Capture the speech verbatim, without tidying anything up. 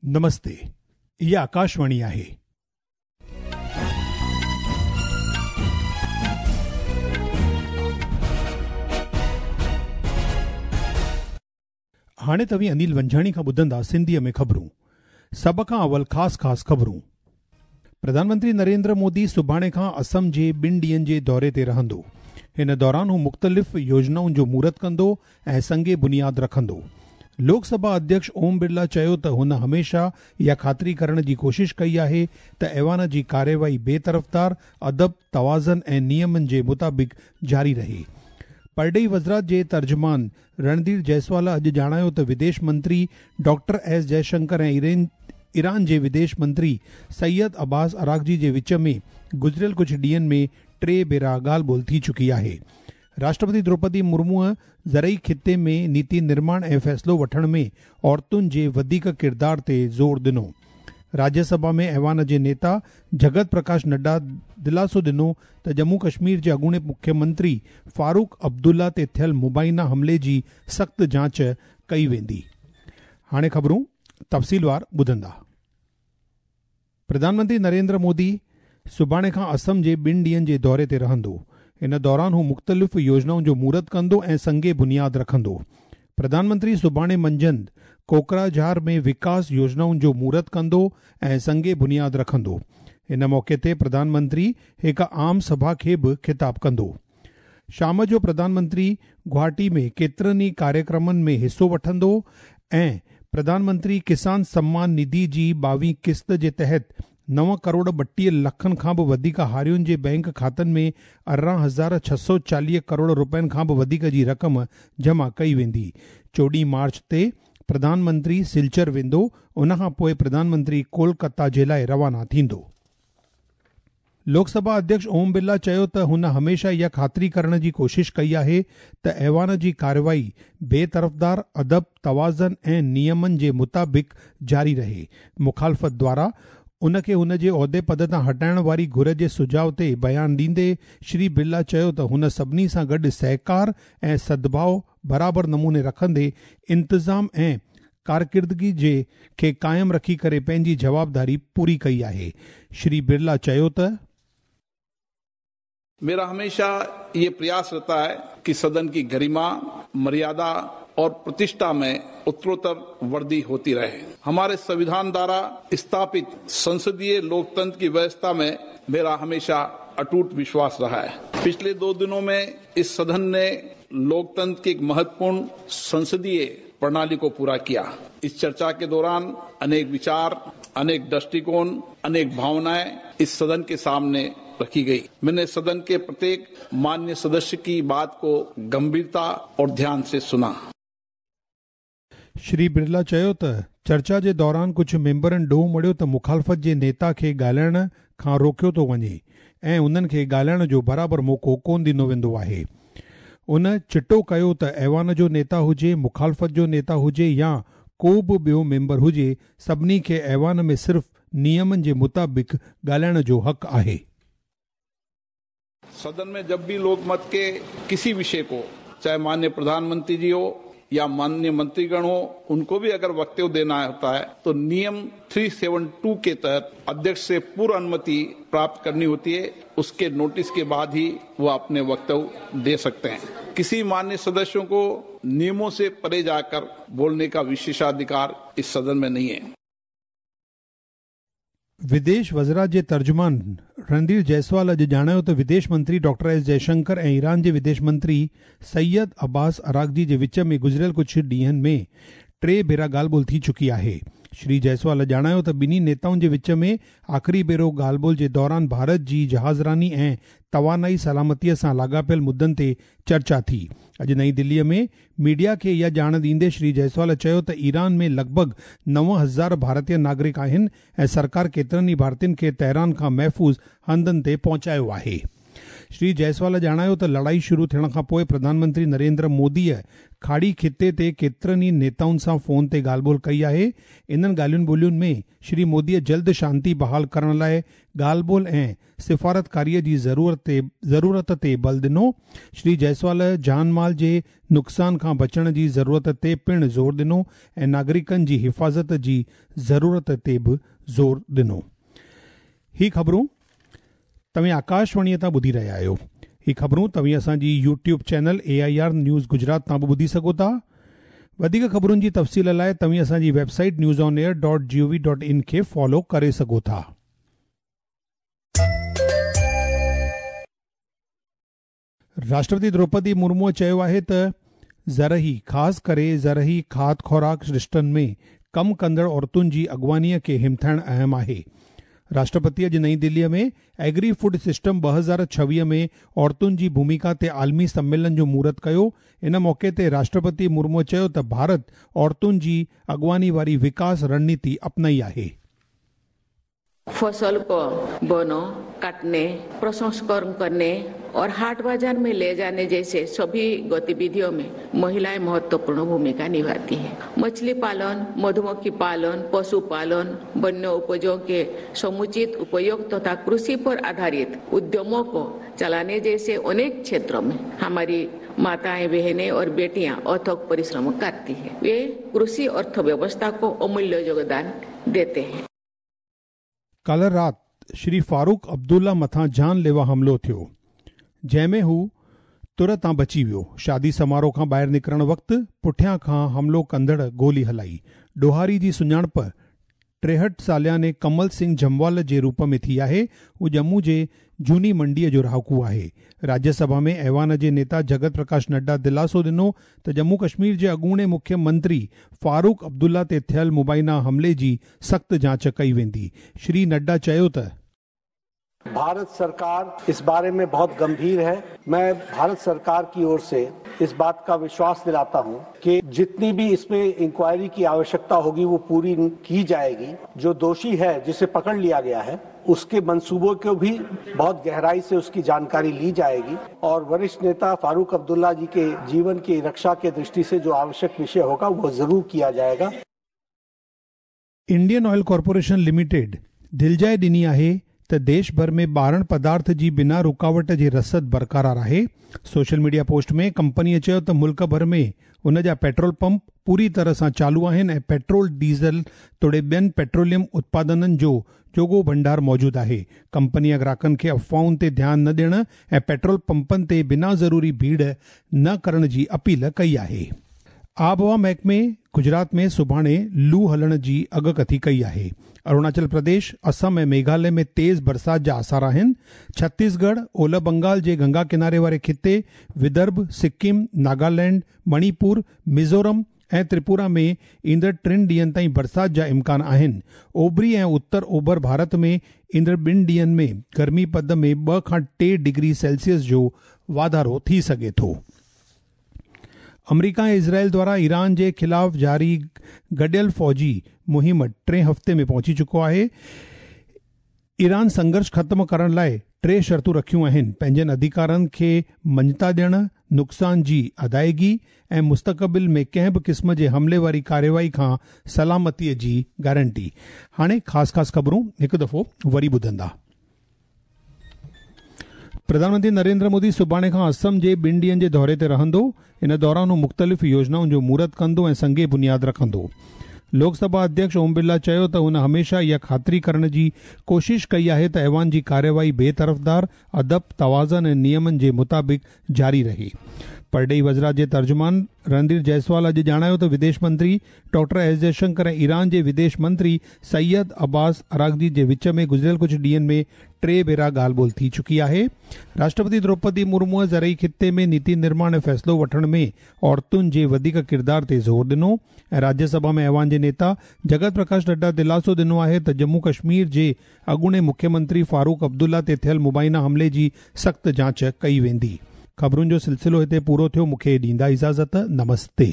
नमस्ते, इहा आकाशवाणी आहे। हाणे तव्हीं अनिल वंझाणी खां ॿुधंदा सिंधीअ में ख़बरूं। सभ खां अवल ख़ासि ख़ासि ख़बरूं। प्रधानमंत्री नरेंद्र मोदी सुभाणे खां असम जे ॿिनि ॾींहनि जे दौरे ते रहंदो। हिन दौरान हू मुख़्तलिफ़ योजनाउनि जो मुहूर्त कंदो ऐं संगे बुनियाद रखंदो। लोकसभा अध्यक्ष ओम बिरला चयो त हुन हमेशह इहा ख़ातिरी करण जी कोशिश कई आहे त ऐवान जी कार्यवाही बेतरफ़दार, अदब, तवाज़न ऐं नियमनि जे मुताबिक़ जारी रहे। परॾेही वज़ारत जे तर्जुमान रणधीर जायसवाल अॼु ॼाणायो त विदेश मंत्री डॉक्टर एस जयशंकर ऐं ईरान जे विदेश मंत्री सैयद अब्बास अरागजी जे विच में गुज़िरियल कुझु ॾींहनि में टे भेरा ॻाल्हि ॿोल थी चुकी आहे। राष्ट्रपति द्रौपदी मुर्मूअ ज़रई ख़िते में नीति निर्माण ऐं फ़ैसिलो वठण में औरतुनि जे वधीक किरदार ते ज़ोर ॾिनो। राज्यसभा में ऐवान जे नेता जगत प्रकाश नड्डा दिलासो ॾिनो त जम्मू कश्मीर जे अॻूणे मुख्यमंत्री फारूक अब्दुल्ला ते थियल मुबैना हमले जी सख़्तु जांच कई वेंदी। हाणे ख़बरूं तफ़सीलवार ॿुधंदा। प्रधानमंत्री नरेंद्र मोदी सुभाणे खां असम जे ॿिनि ॾींहनि जे दौरे ते रहंदो। इन दौरान हू मुख़्तलिफ़ योजनाउनि जो मुहूर्त कंदो ऐं संगे बुनियाद रखंदो। प्रधानमंत्री सुभाणे मंझंदि कोकराझार में विकास योजनाउनि जो मुहूर्त कंदो ऐं संगे बुनियाद रखंदो। इन मौक़े ते प्रधानमंत्री हिकु आम सभा खे बि ख़िताब कंदो। शाम जो प्रधानमंत्री गुवाहाटी में केतिरनि ई कार्यक्रमनि में हिसो वठंदो ऐं प्रधानमंत्री किसान सम्मान निधि जी ॿावीह क़िस्त जे तहत नव करोड़ ॿटीह लखनि खां बि वधीक हारियुनि जे बैंक खातनि में अरिड़हं हज़ार छह सौ चालीह करोड़ रुपयनि खां बि वधीक जी रक़म जमा कई वेंदी। चोॾहीं मार्च ते प्रधानमंत्री सिलचर वेंदो, उन खां पोइ प्रधानमंत्री कोलकाता जे लाइ रवाना थींदो। लोकसभा अध्यक्ष ओम बिरला चयो त हुन हमेशह इहा ख़ातिरी करण जी कोशिश कई आहे त ऐवान जी कार्यवाही बेतरफ़दार, अदब, तवाज़न ऐं नियमनि जे मुताबिक़ जारी रहे। मुखालफ़त द्वारा उनखे हुन जे उहिदे पद तां हटाइण वारी घुर जे सुझाव ते बयान ॾींदे श्री बिरला चयो त हुन सभिनी सां गॾु सहकार ऐं सद्भाव बराबरि नमूने रखंदे इंतिज़ाम ऐं कारकिर्दगी जे खे क़ाइमु रखी करे पंहिंजी जवाबदारी पूरी कई आहे। श्री बिरला चयो त मेरा हमेशा ये प्रयास रहता है कि सदन की गरिमा, मर्यादा और प्रतिष्ठा में उत्तरोत्तर वृद्धि होती रहे। हमारे संविधान द्वारा स्थापित संसदीय लोकतंत्र की व्यवस्था में मेरा हमेशा अटूट विश्वास रहा है। पिछले दो दिनों में इस सदन ने लोकतंत्र की एक महत्वपूर्ण संसदीय प्रणाली को पूरा किया। इस चर्चा के दौरान अनेक विचार, अनेक दृष्टिकोण, अनेक भावनाएं इस सदन के सामने रखी गई। मैंने सदन के प्रत्येक मान्य सदस्य की बात को गंभीरता और ध्यान से सुना। श्री बिरला चयो त चर्चा जे दौरान कुझु मेंबरनि ॾोह मढ़ियो त मुखालफ़त जे नेता खे ॻाल्हाइण खां रोकियो थो वञे ऐं उन्हनि खे ॻाल्हाइण जो बराबरि मौक़ो कोन ॾिनो वेंदो आहे। उन चिटो कयो त ऐवान जो नेता हुजे, मुखालफ़त जो नेता हुजे या को बि ॿियो मेंबर हुजे, सभिनी खे ऐवान में सिर्फ़ नियमनि जे मुताबिक़ ॻाल्हाइण जो हक़ आहे। सदन में जब भी लोकमत के किसी विषय को, चाहे माननीय प्रधानमंत्री जी हो या माननीय मंत्रीगण हो, उनको भी अगर वक्तव्य देना होता है तो नियम तीन सौ बहत्तर के तहत अध्यक्ष से पूर्व अनुमति प्राप्त करनी होती है। उसके नोटिस के बाद ही वो अपने वक्तव्य दे सकते हैं। किसी मान्य सदस्यों को नियमों से परे जाकर बोलने का विशेषाधिकार इस सदन में नहीं है। विदेश वज़ारत जे तर्जुमान रणधीर जायसवाल अॼु ॼाणायो त विदेश मंत्री डॉक्टर एस जयशंकर ऐं ईरान जे विदेश मंत्री सैयद अब्बास अरागजी जे विच में गुज़िरियल कुझु ॾींहनि में टे भेरा ॻाल्हि ॿोल थी चुकी आहे। श्री जायसवाल ॼाणायो त ॿिन्ही नेताउनि जे विच में आख़िरी भेरो ॻाल्हि ॿोल जे दौरान भारत जी जहाज़रानी ऐं तवानाई सलामतीअ सां लाॻापियल मुद्दनि ते चर्चा थी। अॼु नई दिल्लीअ में मीडिया खे इहा ॼाण ॾींदे श्री जायसवाल चयो त ईरान में लॻभॻि नव हज़ार भारतीय नागरिक आहिनि ऐं सरकार केतिरनि ई भारतीयनि खे तेहरान खां महफ़ूज़ हंधनि ते पहुचायो आहे। श्री जायसवाल ॼाणायो त लड़ाई शुरू थियण खां पोइ प्रधानमंत्री नरेंद्र मोदीअ खाड़ी खिते ते केतिरनि ई नेताउनि सां फ़ोन ते ॻाल्हि ॿोल कई आहे। इन्हनि ॻाल्हियुनि ॿोलियुनि में श्री मोदीअ जल्द शांति बहाल करण लाइ ॻाल्हि ॿोल ऐं सिफ़ारतकारीअ जी ज़रूरत ते ज़रूरत ते बल ॾिनो। श्री जायसवाल जान माल जे नुक़सान खां बचण जी ज़रूरत ते पिणु ज़ोर ॾिनो ऐं नागरिकनि जी हिफ़ाज़त जी ज़रूरत ते बि ज़ोर ॾिनो। ही ख़बरूं तव्हीं आकाशवाणीअ तां ॿुधी रहिया आहियो। ही ख़बरूं तव्हीं असांजी YouTube channel A I R news Gujarat तां बि ॿुधी सघो था। वधीक ख़बरुनि जी तफ़सील लाइ तव्हीं असांजी website news on air dot G O V dot in खे फॉलो करे सघो था। राष्ट्रपति द्रौपदी मुर्मूअ चयो आहे त ज़रही ख़ासि करे ज़रही खाद ख़ुराक रिश्तनि में कमु कंदड़ औरतुनि जी अॻुवानीअ खे हिमथाइणु अहम आहे। राष्ट्रपति अॼु नई दिल्लीअ में एग्री फूड सिस्टम ॿ हज़ार छवीह में औरतुनि जी भूमिका ते आलमी सम्मेलन जो मुहूर्त कयो। इन मौक़े ते राष्ट्रपति मुर्मू चयो त भारत औरतुनि जी अॻुवानी वारी विकास रणनीति अपनाई आहे। फसल को बोनो, काटने, प्रसंस्करण करने और हाट बाजार में ले जाने जैसे सभी गतिविधियों में महिलाएं महत्वपूर्ण भूमिका निभाती हैं। मछली पालन, मधुमक्खी पालन, पशुपालन, वन्य उपजों के समुचित उपयोग तथा कृषि पर आधारित उद्यमों को चलाने जैसे अनेक क्षेत्रों में हमारी माताएं, बहनें और बेटियां अथक परिश्रम करती हैं। वे कृषि अर्थव्यवस्था को अमूल्य योगदान देते हैं। काल्ह राति श्री फारूक अब्दुल्ला मथां जानलेवा हमलो थियो, जंहिंमें हू तुर तां बची वियो। शादी समारोह खां ॿाहिरि निकिरण वक़्तु पुठियां खां हमलो कंदड़ गोली हलाई। ॾोहारी जी सुञाणप टेहठि सालियाने कमल सिंह जमवाल जे रूप में थी आहे। हू जम्मू जे जूनी मंडीअ जो रहाकू आहे। राज्यसभा में ऐवान जे नेता जगत प्रकाश नड्डा दिलासो ॾिनो त जम्मू कश्मीर जे अॻूणे मुख्यमंत्री फारूक अब्दुल्ला ते थियल मुबैना हमले जी सख़्तु जांच कई वेंदी। श्री नड्डा चयो त भारत सरकार इस बारे में बहुत गंभीर है। मैं भारत सरकार की ओर से इस बात का विश्वास दिलाता हूं कि जितनी भी इसमें इंक्वायरी की आवश्यकता होगी वो पूरी की जाएगी। जो दोषी है, जिसे पकड़ लिया गया है, उसके मंसूबों को भी बहुत गहराई से उसकी जानकारी ली जाएगी और वरिष्ठ नेता फारूक अब्दुल्ला जी के जीवन की रक्षा के दृष्टि से जो आवश्यक विषय होगा वो जरूर किया जाएगा। इंडियन ऑयल कॉर्पोरेशन लिमिटेड दिलजाए ॾिनी आहे त देश भर में ॿारहं पदार्थ जी बिना रुकावट जी रसद बरक़रार आहे। सोशल मीडिया पोस्ट में कंपनीअ चयो त मुल्क भर में उन जा पेट्रोल पंप पूरी तरह सां चालू आहिनि ऐं पेट्रोल, डीज़ल तोड़े ॿियनि पेट्रोलियम उत्पादननि जो जोॻो भंडार मौजूदु आहे। कंपनीअ ग्राहकनि खे अफ़वाहुनि ते ध्यानु न ॾियण ऐं पेट्रोल पंपनि ते बिना ज़रूरी भीड़ न करण जी अपील कई आहे। आबहवा महकमे गुजरात में सुभाणे लू हलण जी अगकथी कई आहे। अरुणाचल प्रदेश, असम ऐं मेघालय में तेज़ बरसात जा आसार आहिनि। छत्तीसगढ़, ओलह बंगाल जे गंगा किनारे वारे खिते, विदर्भ, सिक्किम, नागालैंड, मणिपुर, मिज़ोरम ऐं त्रिपुरा में ईंदड़ टिनि ॾींहनि ताईं बरसात जा इम्कान आहिनि। ओभरी ऐं उत्तर ओभर भारत में ईंदड़ ॿिनि ॾींहनि में गर्मी पद में ॿ खां टे डिग्री सेल्सियस जो वाधारो थी सघे थो। अमरीका ऐं इज़राइल द्वारा ईरान जे ख़िलाफ़ जारी गॾियल फ़ौजी मुहिम टे हफ़्ते में पहुची चुको आहे। ईरान संघर्ष ख़त्म करण लाइ टे शर्तूं रखियूं आहिनि। पंहिंजनि अधिकारनि खे मञता ॾियण, नुक़सान जी अदायगी ऐं मुस्तक़बिल में कंहिं बि क़िस्म जे हमले वारी कार्रवाई खां सलामतीअ जी गारंटी। हाणे ख़ासि ख़ासि ख़बरूं हिकु दफ़ो वरी ॿुधंदा। प्रधानमंत्री नरेंद्र मोदी सुभाणे खां असम जे ॿिनि ॾींहनि जे दौरे ते रहंदो। इन दौरान हू मुख़्तलिफ़ योजनाउनि जो मुहूर्त कंदो ऐं संगे बुनियाद रखंदो। लोकसभा अध्यक्ष ओम बिरला चयो त हुन हमेशा इहा ख़ातिरी करण जी कोशिश कई आहे त ऐवान जी कार्यवाही बेतरफ़दार, अदब, तवाज़न ऐं नियमनि जे मुताबिक़ जारी रहे। परॾेही वज़ारत जे तर्जुमान रणधीर जायसवाल अॼु ॼाणायो त विदेश मंत्री डॉक्टर एस जयशंकर ऐं ईरान जे विदेश मंत्री सैयद अब्बास अरागजी जे विच में गुज़िरियल कुझु ॾींहनि में टे भेरा ॻाल्हि ॿोल थी चुकी आहे। राष्ट्रपति द्रौपदी मुर्मूअ ज़रई खिते में नीति निर्माण ऐं फ़ैसिलो वठण में औरतुनि जे वधीक किरदार ते ज़ोर ॾिनो ऐं राज्यसभा में ऐवान जे नेता जगत प्रकाश नड्डा दिलासो ॾिनो आहे त जम्मू कश्मीर जे अॻूणे मुख्यमंत्री फारूक अब्दुल्ला ते थियल मुबैना हमले जी सख़्तु जांच कई वेंदी। ख़बरुनि जो सिलसिलो हिते पूरो थियो। मूंखे ॾींदा इजाज़त। नमस्ते।